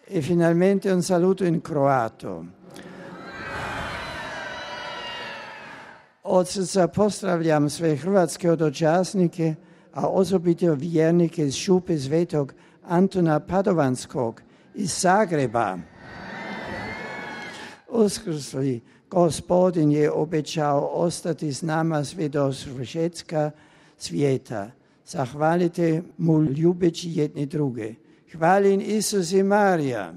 E finalmente un saluto in croato. Od srca pozdravljam sve hrvatske hodočasnike, a osobito vjernike iz Šupe Svetog Antuna Padovanskog iz Zagreba. Uskrsli Gospodin je obećao ostati s nama sve do svršetka svijeta. Zahvalite mu ljubeći jedni druge. Hvalim Isus i Marija.